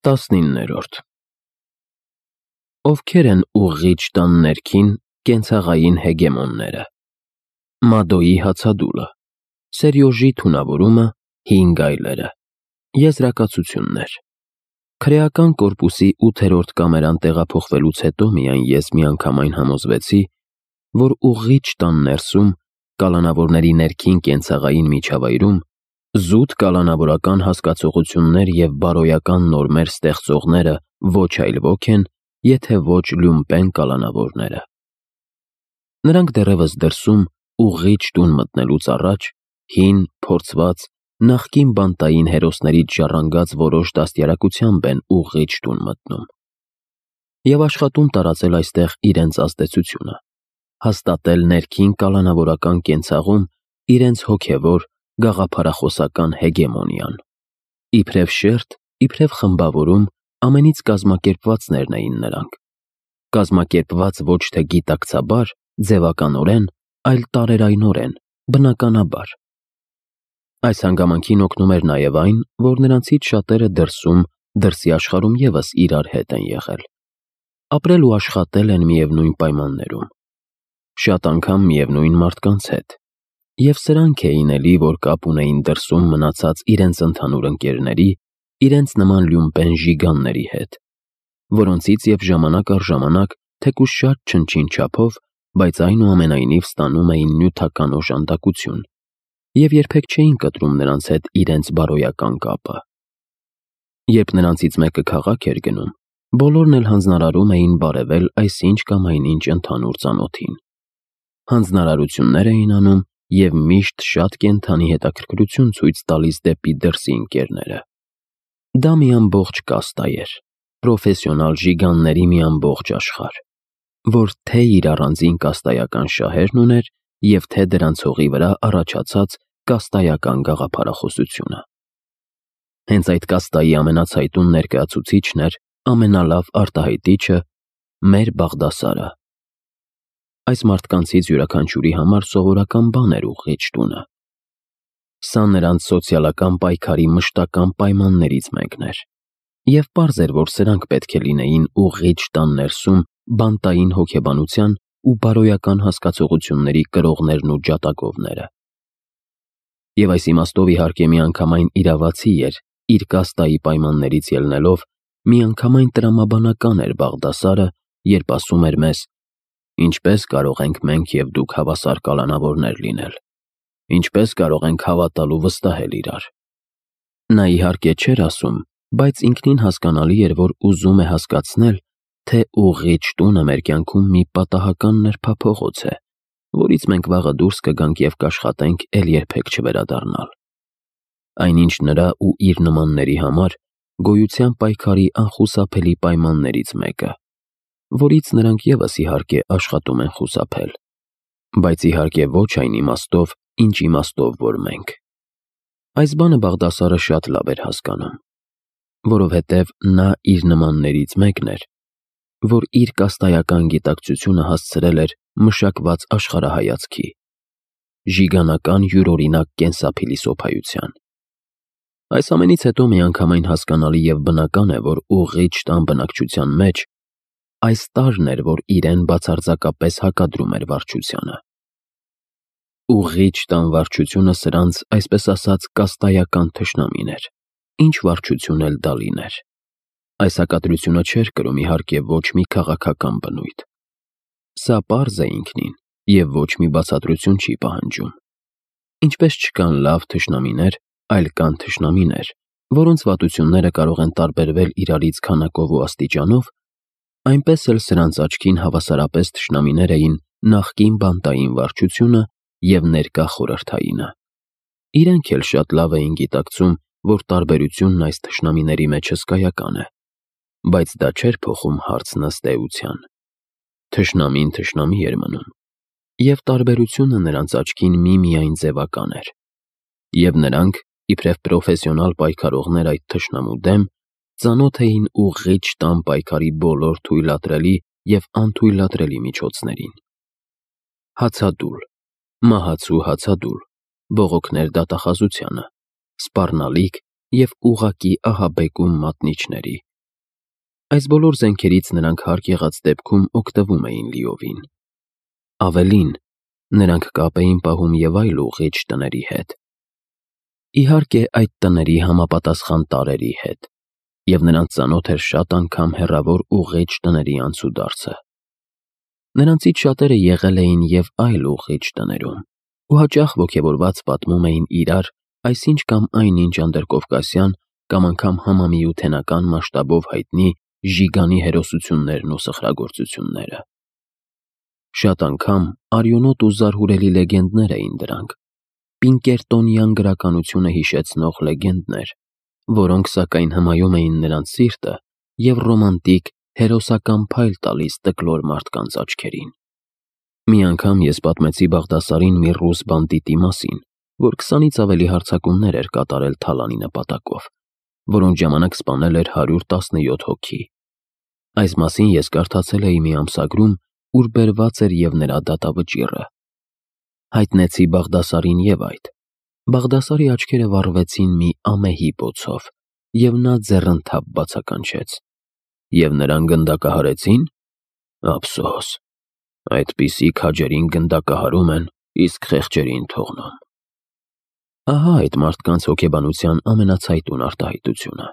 19-րդ Ովքեր են ուղղիչ տան ներքին կենցաղային հեգեմոնները։ Մադոյի հացադուլը, Սերյոժի թունավորումը, հին գայլերը։ Եզրակացություններ։ Քրեական կորպուսի 8-րդ կամերան տեղափոխվելուց հետո միայն ես միանգամայն համոզվեցի, որ ուղղիչ տան ներսում, կալանավորների ներքին կենցաղային միջավայրում, զուտ կալանավորական հասկացողություններ և բարոյական նորմեր ստեղծողները ոչ այլ ոք են, եթե ոչ լյումպեն կալանավորները։ Նրանք դեռևս դրսում, ուղղիչ տուն մտնելուց առաջ, հին, փորձված, նախկին բանտային հերոսներից ժառանգած որոշ դաստիարակությամբ են ուղղիչ տուն մտնում և աշխատում տարածել այստեղ իրենց ազդեցությունը, հաստատել ներքին կալանավորական կենցաղում իրենց հոգևոր, գաղափարախոսական հեգեմոնիան։ Իբրև շերտ, իբրև խմբավորում ամենից կազմակերպվածներն էին նրանք, կազմակերպված ոչ թե գիտակցաբար, ձևականորեն, այլ տարերայնորեն, բնականաբար։ Այս հանգամանքին օգնում էր նաև այն, որ նրանցից շատերը դրսում, դրսի աշխարհում ևս իրար հետ են եղել, ապրել ու աշխատել են միևնույն պայմաններում, շատ անգամ միևնույն մարդկանց հետ, և սրանք էին էլի, որ կապ ունեին դրսում մնացած իրենց ընդհանուր ընկերների, իրենց նման լյումպեն ժիգանների հետ, որոնցից և ժամանակ առ ժամանակ, թեկուզ շատ չնչին չափով, բայց այնուամենայնիվ ստանում էին նյութական օժանդակություն և երբեք չէին կտրում նրանց հետ իրենց բարոյական կապը։ Երբ նրանցից մեկը քաղաք էր գնում, բոլորն էլ հանձնարարում էին բարևել այսինչ կամ այնինչ ընդհանուր ծանոթին։ Հանձնարարություններ էին անում և միշտ շատ կենդանի հետաքրքրություն ցույց տալիս դեպի դրսի ընկերները։ Դա մի ամբողջ կաստա էր, պրոֆեսիոնալ ժիգանների մի ամբողջ աշխարհ, որ թե իր առանձին կաստայական շահերն ուներ և թե դրանց հողի վրա առաջացած կաստայական գաղափարախոսությունը։ Հենց այդ կաստայի ամենացայտուն ներկայացուցիչն էր, ամենալավ արտահայտիչը մեր Բաղդասարը։ Այս մարդկանցից յուրաքանչյուրի համար սովորական բան էր ուղղիչ տունը։ Սա նրանց սոցիալական պայքարի մշտական պայմաններից մեկն էր, և պարզ էր, որ սրանք պետք է լինեին ուղղիչ տան ներսում բանտային հոգեբանության ու բարոյական հասկացողությունների կրողներն ու ջատագովները։ Եվ այս իմաստով իհարկե միանգամայն իրավացի էր, իր կաստայի պայմաններից ելնելով, միանգամայն տրամաբանական էր Բաղդասարը, երբ ասում էր մեզ. «Ինչպե՞ս կարող ենք մենք և դուք հավասար կալանավորներ լինել, ինչպե՞ս կարող ենք հավատալ ու վստահել իրար»։ Նա իհարկե չէր ասում, բայց ինքնին հասկանալի էր, որ ուզում է հասկացնել, թե ուղղիչ տունը մեր կյանքում մի պատահական նրբափողոց է, որից մենք վաղը դուրս կգանք և կաշխատենք էլ երբեք չվերադառնալ։ Այնինչ նրա ու իր նմանների համար գոյության պայքարի անխուսափելի պայմաններից մեկը, որից նրանք ևս իհարկե աշխատում են խուսափել, բայց իհարկե ոչ այն իմաստով, ինչ իմաստով, որ մենք։ Այս բանը Բաղդասարը շատ լավ էր հասկանում, որովհետև նա իր նմաններից մեկն էր, որ իր կաստայական գիտակցությունը հասցրել էր մշակված աշխարհայացքի, ժիգանական յուրօրինակ կենսափիլիսոփայության։ Այս ամենից հետո միանգամայն հասկանալի և բնական է, որ ուղղիչ տան բնակչության մեջ այս տարրն էր, որ իրեն բացարձակապես հակադրում էր վարչությանը։ Ուղղիչ տան վարչությունը սրանց, այսպես ասած, կաստայական թշնամին էր, ինչ վարչություն էլ դա լիներ։ Այս հակադրությունը չէր կրում իհարկե ոչ մի քաղաքական բնույթ։ Սա պարզ է ինքնին և ոչ մի բացատրություն չի պահանջում։ Ինչպես չկան լավ թշնամիներ, այլ կան թշնամիներ, որոնց վատությունները կարող են տարբերվել իրարից քանակով ու աստիճանով, այնպես էլ սրանց աչքին հավասարապես թշնամիներ էին նախկին բանտային վարչությունը և ներկա խորհրդայինը։ Իրենք էլ շատ լավ էին գիտակցում, որ տարբերությունն այս թշնամիների մեջ հսկայական է, բայց դա չէր փոխում հարցն ըստ էության։ Թշնամին թշնամի էր մնում, և տարբերությունը նրանց աչքին միմիայն ձևական էր, և նրանք, իբրև պրոֆեսիոնալ պայքարողներ այդ թշնամու դեմ, ծանոթ էին ուղղիչ տան պայքարի բոլոր թույլատրելի և անթույլատրելի միջոցներին։ Հացադուլ, մահացու հացադուլ, բողոքներ դատախազությանը, սպառնալիք և ուղղակի ահաբեկում մատնիչների, Այս բոլոր զենքերից նրանք հարկ եղած դեպքում օգտվում էին լիովին։ Ավելին, նրանք կապ էին պահում և այլ ուղղիչ տների հետ։ Իհարկե, այդ տների համապատասխան տարրերի հետ, և նրանց ծանոթ էր շատ անգամ հեռավոր ուղղիչ տների անցուդարձը։ Նրանցից շատերը եղել էին և այլ ուղղիչ տներում ու հաճախ ոգևորված պատմում էին իրար այսինչ կամ այնինչ անդրկովկասյան կամ անգամ համամիութենական մասշտաբով հայտնի ժիգանի հերոսություններն ու սխրագործությունները։ Շատ անգամ արյունոտ ու զարհուրելի լեգենդներ էին դրանք, պինկերտոնյան գրականությունը հիշեցնող լեգենդներ, որոնք սակայն հմայում էին նրանց սիրտը և ռոմանտիկ, հերոսական փայլ տալիս տկլոր մարդկանց աչքերին։ Մի անգամ ես պատմեցի Բաղդասարին մի ռուս բանդիտի մասին, որ 20-ից ավելի հարձակումներ էր կատարել Թալանի նպատակով, որոնց ժամանակ սպանել էր 117 հոգի։ Այս մասին ես կարդացել էի մի ամսագրում, ուր բերված էր և նրա դատավճիռը։ Հայտնեցի Բաղդասարին և այդ։ Բաղդասարի աչքերը վառվեցին մի ամեհի բոցով, և նա ձեռնթափ բացականչեց. «Եվ նրան գնդակահարեցի՞ն»։ Ափսոս, այդպիսի քաջերին գնդակահարում են, իսկ խեղճերին թողնում։ Ահա այդ մարդկանց հոգեբանության ամենացայտուն արտահայտությունը։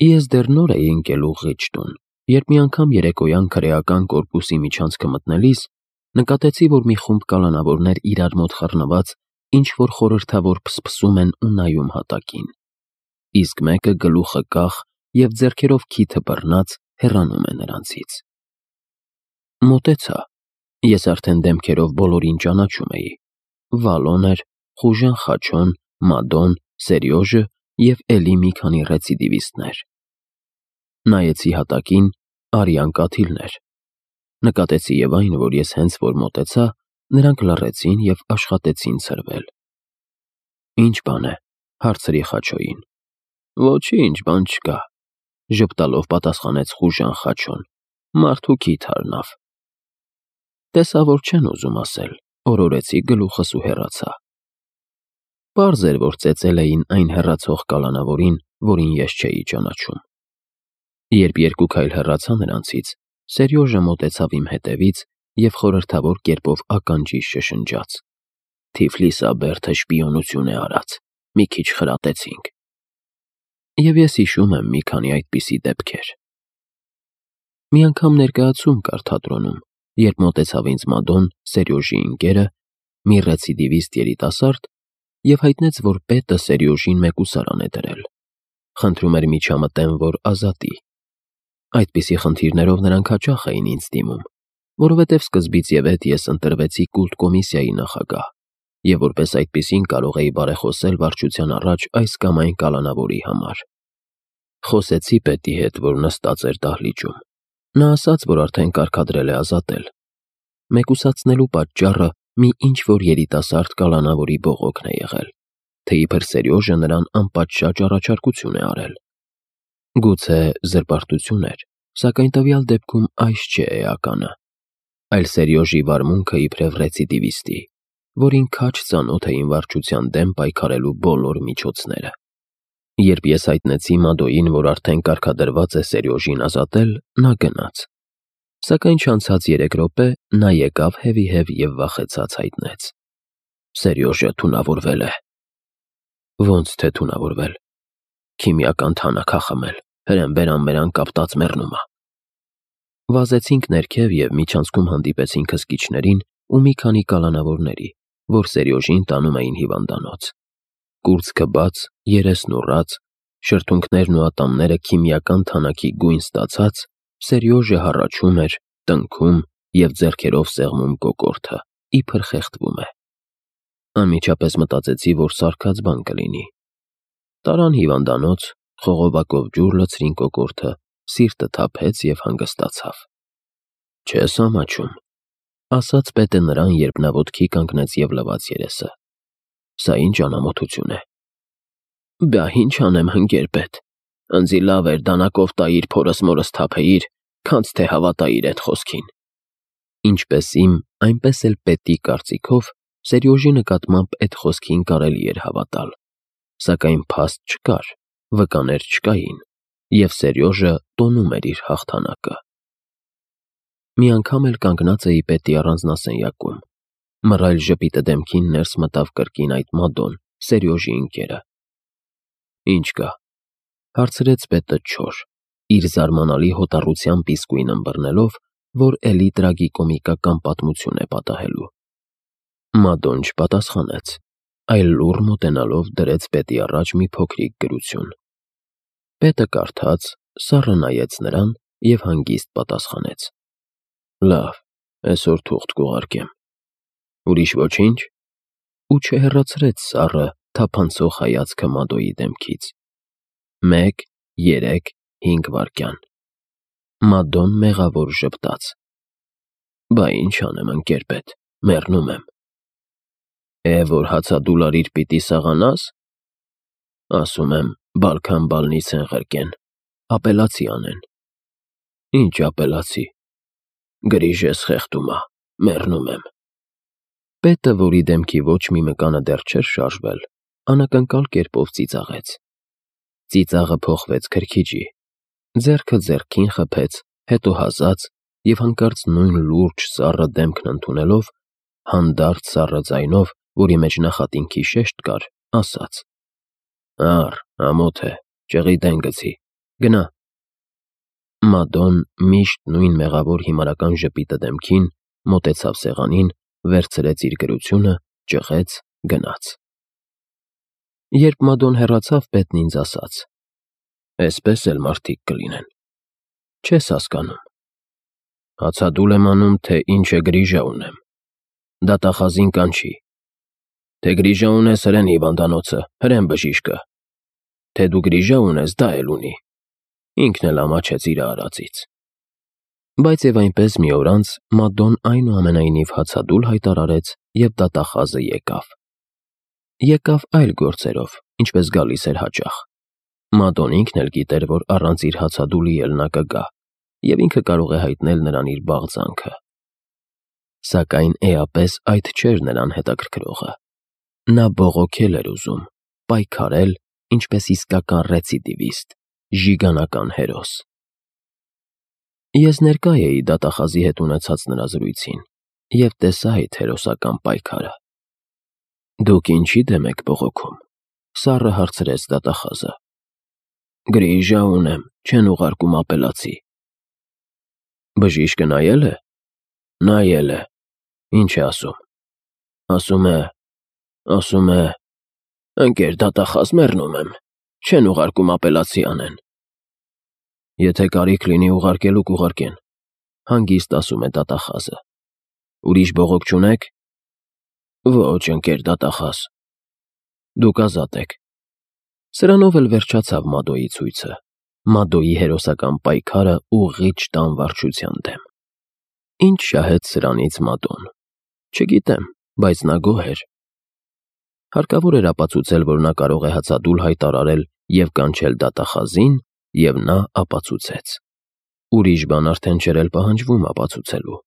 Ես դեռ նոր էի ընկել ուղղիչ տուն, երբ մի անգամ երեկոյան քրեական կորպուսի միջանցքը մտնելիս նկատեցի, որ մի խումբ կալանավորներ իրար մոտ խռնված ինչ-որ խորհրդավոր փսփսում են ու նայում հատակին, իսկ մեկը գլուխը կախ և ձեռքերով քիթը բռնած հեռանում է նրանցից։ Մոտեցա, ես արդեն դեմքերով բոլորին ճանաչում էի. Վալոն էր, Խուժան Խաչոն, Մադոն, Սերյոժը և էլի մի քանի ռեցիդիվիստներ։ Նայեցի հատակին, արյան կաթիլներ։ Նկատեցի և այն, որ ես հենց որ մոտեցա, նրանք լռեցին և աշխատեցին ցրվել։ Ինչ բան է, հարցրի Խաչոյին։ Ոչինչ, բան չկա, ժպտալով պատասխանեց Խուժան Խաչոն, մարդու քիթ առնավ։ Տեսա, որ չեն ուզում ասել, օրորեցի գլուխս ու հեռացա։ Պարզ էր, որ ծեծել էին այն հեռացող կալանավորին, որին ես չէի ճանաչում։ Երբ երկու քայլ հեռացա նրանցից, Սերյոժը մոտեցավ իմ հետևից և խորհրդավոր կերպով ականջիս շշնջաց. Թիֆլիսաբերդը շպիոնություն է արած, մի քիչ խրատեցինք։ Եվ ես հիշում եմ մի քանի այդպիսի դեպքեր։ Մի անգամ ներկայացում կար թատրոնում, երբ մոտեցավ ինձ Մադոն, Սերյոժի ընկերը, մի ռեցիդիվիստ երիտասարդ, և հայտնեց, որ պետը Սերյոժին մեկուսարան է դրել։ Խնդրում էր միջամտեմ, որ ազատի։ Այդպիսի խնդիրներով նրանք հաճախ էին ինձ դիմում, որովհետև սկզբից և հետ ես ընտրվեցի կուլտ կոմիսիայի նախագահ, և որպես այդպիսին կարող էի բարեխոսել վարչության առաջ այս կամ այն կալանավորի համար։ Խոսեցի պետի հետ, որ նստած էր դահլիճում։ Նա ասաց, որ արդեն կարգադրել է ազատել։ Մեկուսացնելու պատճառը մի ինչ-որ երիտասարդ կալանավորի բողոքն է եղել, թե իբր Սերյոժը նրան անպատշաճ առաջարկություն է արել։ Գուցե զրպարտություն էր, սակայն տվյալ դեպքում այս չէ էականը, այլ Սերյոժի վարմունքը իբրև ռեցիդիվիստի, որին քաջ ծանոթ էին վարչության դեմ պայքարելու բոլոր միջոցները։ Երբ ես հայտնեցի Մադոյին, որ արդեն կարգադրված է Սերյոժին ազատել, նա գնաց։ Սակայն չանցած 3 րոպե նա եկավ հևիհև և վախեցած հայտնեց. Սերյոժը թունավորվել է։ Ոնց թե թունավորվել։ Քիմիական թանաք ա խմել, հրեն-բերան կապտած մեռնում ա։ Վազեցինք ներքև և միջանցքում հանդիպեցինք հսկիչներին ու մի քանի կալանավորների, որ Սերյոժին տանում էին հիվանդանոց։ Կուրծքը բաց, երեսն ուռած, շրթունքներն ու ատամները քիմիական թանաքի գույն ստացած, Սերյոժը հառաչում էր, տնքում և ձեռքերով սեղմում կոկորդը, իբր խեղդվում է։ Անմիջապես մտածեցի, որ սարքած բան կլինի։ Տարան հիվանդանոց, խողովակով ջուր լցրին կոկորդը, սիրտը թափեց և հանգստացավ։ Չես ամաչում, ասաց պետը նրան, երբ նա ոտքի կանգնեց և լվաց երեսը։ Սա ինչ անամոթություն է։ Բա ինչ անեմ, հնգեր պետ, ընձի լավ էր դանակով տայիր փորս մորս թափեիր, քանց թե հավատայիր էդ խոսքին։ Ինչպես իմ, այնպես էլ պետի կարծիքով Սերյոժի նկատմամբ էդ խոսքին կարելի էր հավատալ, սակայն փաստ չկար, վկաներ չկային, և Սերյոժը տոնում էր իր հաղթանակը։ Մի անգամ էլ կանգնած էի պետի առանձնասենյակում, մռայլ ժպիտը դեմքին ներս մտավ կրկին այդ Մադոն, Սերյոժի ընկերը։ «Ինչ կա», հարցրեց պետը չոր, իր զարմանալի հոտառությամբ իսկույն ըմբռնելով, որ էլի տրագիկոմիկական պատմություն է պատահելու։ Մադոն չպատասխանեց, այլ լուռ մոտենալով դրեց պետի առաջ մի փոքրիկ գրություն։ Պետը կարդաց, սառը նայեց նրան և հանգիստ պատասխանեց. «Լավ, այսօր թուղթ կուղարկեմ»։ «Ուրիշ ոչինչ»։ Ու չհեռացրեց սառը, թափանցող հայացքը Մադոյի դեմքից։ 1, 3, 5 վայրկյան։ Մադոն մեղավոր ժպտաց։ «Բա ինչ անեմ, ընկեր-պետ, մեռնում եմ»։ Որ հացադուլարիր պիտի սաղանա՞ս։ Ասում եմ, բալքան բալնիցեն ղրկեն, ապելացի անեն։ Ինչ ապելացի։ Գրիժ ես խեղդումա, մեռնում եմ։ Պետը, որի դեմքի ոչ մի մկանը դեռ չէր շարժվել, անակնկալ կերպով ծիծաղեց։ Ծիծաղը փոխվեց քրքիջի, ձեռքը ձեռքին խփեց, հետո հազաց և հանկարծ նույն լուրջ սառը դեմքն ընդունելով, հանդարտ սառը ձայնով, որի մեջ նախատինքի շեշտ կար, ասաց. «Առ, ամոթ է, ճղիտեն գցի, գնա»։ Մադոն միշտ նույն մեղավոր հիմարական ժպիտը դեմքին մոտեցավ սեղանին, վերցրեց իր գրությունը, ճղեց, գնաց։ Երբ Մադոն հեռացավ, պետն ինձ ասաց. «Էսպես էլ մարդիկ կլինեն։ Չես հասկանում։ Հացադուլ եմ անում, թե ինչ է գրիժա ունեմ։ Դատախազին կանչի։ Թե գրիժա ունես, հրեն հիվանդանոցը, հրեն բժիշկը։ Թե դու գրիժա ունես, դա էլ ունի։ Ինքն էլ ամաչեց իր արածից»։ Բայց և այնպես մի օր անց Մադոն այնուամենայնիվ հացադուլ հայտարարեց և դատախազը եկավ։ Եկավ այլ գործերով, ինչպես գալիս էր հաճախ։ Մադոն ինքն էլ գիտեր, որ առանց իր հացադուլի էլ նա կգա, և ինքը կարող է հայտնել նրան իր բաղձանքը։ Սակայն էապես այդ չէր նրան հետաքրքրողը։ Նա բողոքել էր ուզում, պայքարել, ինչպես իսկական ռեցիդիվիստ, ժիգանական հերոս։ Ես ներկա էի դատախազի հետ ունեցած նրա զրույցին և տեսա այդ հերոսական պայքարը։ «Դուք ինչի դեմ եք բողոքում»։ Սառը հարցրեց դատախազը։ «Գրիժա ունեմ, չեն ուղարկում ապելացի»։ «Բժիշկը նայել է»։ «Նայել է»։ «Ինչ է ասում»։ Ասում է. «Ընկեր դատախազ, մեռնում եմ, չեն ուղարկում ապելացի անեն»։ «Եթե կարիք լինի ուղարկելու, կուղարկեն», հանգիստ ասում է դատախազը։ «Ուրիշ բողոք չունեք»։ «Ոչ, ընկեր դատախազ»։ «Դուք ազատ եք»։ Սրանով էլ վերջացավ Մադոյի ցույցը, Մադոյի հերոսական պայքարը ուղիղ տան վարչության դեմ։ Ինչ շահեց սրանից Մադոն։ Չգիտեմ, բայց նա գոհ էր։ Հարկավոր էր ապացուցել, որ նա կարող է հացադուլ հայտարարել և կանչել դատախազին, և նա ապացուցեց։ Ուրիշ բան արդեն չէր էլ պահանջվում ապացուցելու։